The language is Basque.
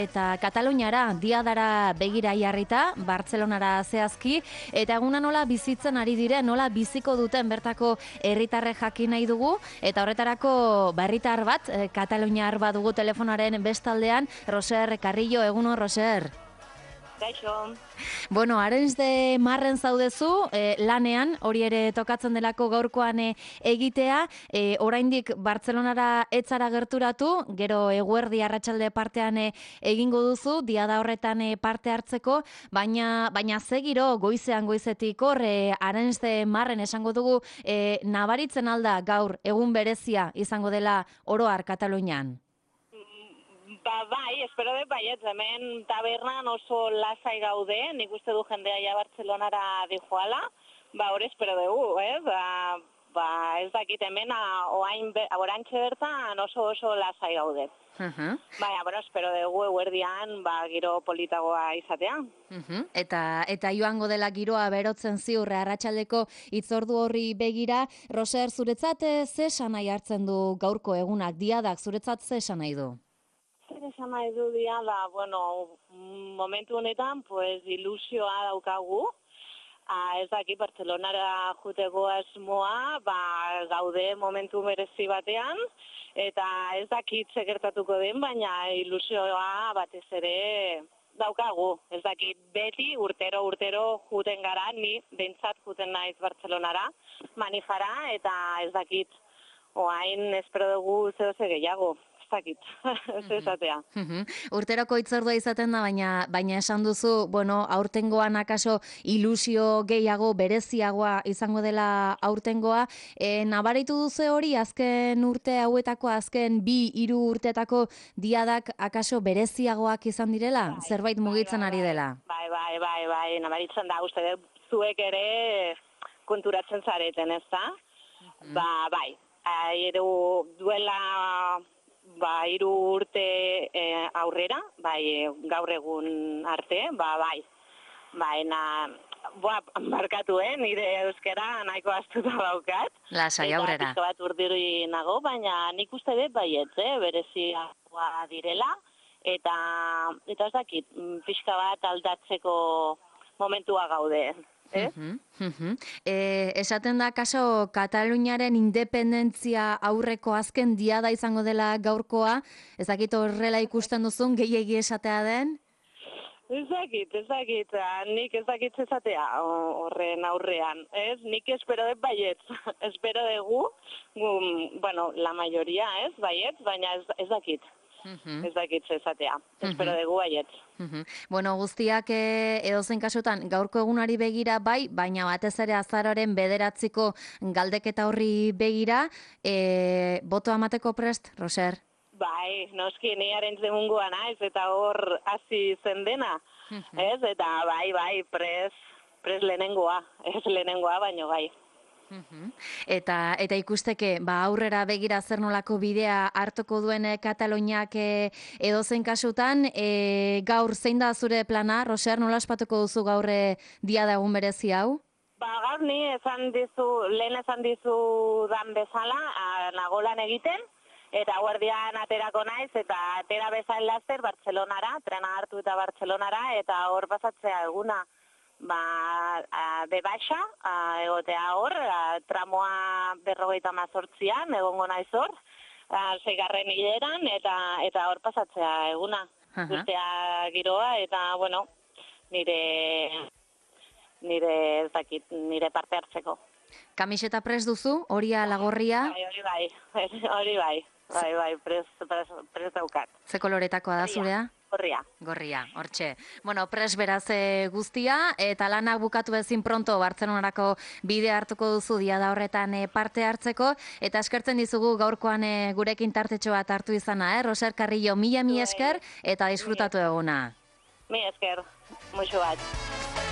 Eta Kataluniara, diadara begira jarrita, Bartzelonara zehazki, eta eguna nola bizitzen ari diren, nola biziko duten bertako herritarrek jakin nahi dugu, eta horretarako herritar bat, kataluniar bat dugu telefonaren bestaldean, Roser Carrillo, egunon Roser. Gaixo. Bueno, Arenys de Marren zaudezu, lanean, hori ere tokatzen delako gaurkoan egitea, oraindik Bartzelonara etzara gerturatu, gero eguerdi arratsalde partean egingo duzu, diada horretan parte hartzeko, baina zegiro goizetik hor, Arenys de Marren esango dugu, nabaritzen alda gaur egun berezia izango dela oro har Katalunian. Bai, espero dut baietz, hemen tabernan oso lasai gaude, nik uste du jendea ja Bartzelonara dijoala, hori espero dugu, ez? Ez dakit hemen, orantxe bertan oso lasai gaude. Baina, espero dugu eguerdian, giro politagoa izatea. Eta joango dela giroa berotzen ziur arratsaldeko hitzordu horri begira, Roser, zuretzat ze esan nahi hartzen du gaurko egunak, diadak, zuretzat ze esan nahi du? Zer esan nahi du diada, momentu honetan, ilusioa daukagu. Ez daki Bartzelonara juteko asmoa, gaude momentu merezi batean, eta ez dakit gertatuko den, baina ilusioa batez ere daukagu. Ez dakit beti urtero juten gara, ni bentsat juten naiz Bartzelonara, manifara, eta ez dakit oain espero dugu zehose gehiago. Ezatea. Urteroko hitzordua izaten da, baina esan duzu, aurtengoan akaso ilusio gehiago, bereziagoa izango dela aurtengoa. Nabaritu duzu hori, azken urte hauetako, azken 2-3 urteetako diadak akaso bereziagoak izan direla? Zerbait mugitzen ari dela? Bai, nabaritzen da, uste zuek ere konturatzen zareten, ez da? Bai, duela 3 urte aurrera, gaur egun arte, bai. Barkatu, nire euskera nahiko astuta daukat. Lasai aurrera. Eta bat urdiri nago, baina nik uste dut baietz, bereziagoa direla, eta ez dakit, pixka bat aldatzeko momentua gaude. Esaten da, kaso, Kataluniaren independentzia aurreko azken diada izango dela gaurkoa, ez dakit horrela ikusten duzun, gehiegi esatea den? Ez dakit, nik ez dakit esatea horren aurrean, ez? Nik espero dut baietz, espero dugu, la mayoría ez, baietz, baina ez dakit. Ez dakit esatea, espero dugu baietz. Guztiak edozein kasutan gaurko egunari begira bai, baina batez ere azaroaren 9 galdeketa horri begira, botoa emateko prest, Roser? Bai, noski, ni Arenys de Mungua naiz, eta hor hasi zen dena, ez? Eta bai, prest lehenengoa, ez lehenengoa, baino bai. Eta ikusteke, aurrera begira zer nolako bidea hartuko duen Kataluniak edozein kasutan, gaur zein da zure plana, Roser, nola ospatuko duzu gaur diada egun berezi hau? Gaur ni lehen esan dizu dan bezala, nagolan egiten, eta guardian aterako naiz, eta atera bezain laster Bartzelonara, trena hartu eta Bartzelonara, eta hor pasatzea eguna. Bebaixa, egotea hor, tramoa 58an, egongo naiz hor, 6. hileran, eta hor pasatzea eguna. Guztia giroa, eta, nire parte hartzeko. Kamiseta prest duzu, hori alagorria? Hori bai, prest daukat. Ze koloretakoa da zurea? Gorria, hortxe. Pres beraz guztia, eta lanak bukatu ezin pronto Bartzelonarako bide hartuko duzu diada horretan parte hartzeko, eta eskertzen dizugu gaurkoan gurekin tartetxo bat hartu izana, Roser Carrillo, mila esker, eta disfrutatu eguna. Mila esker, muixo bat.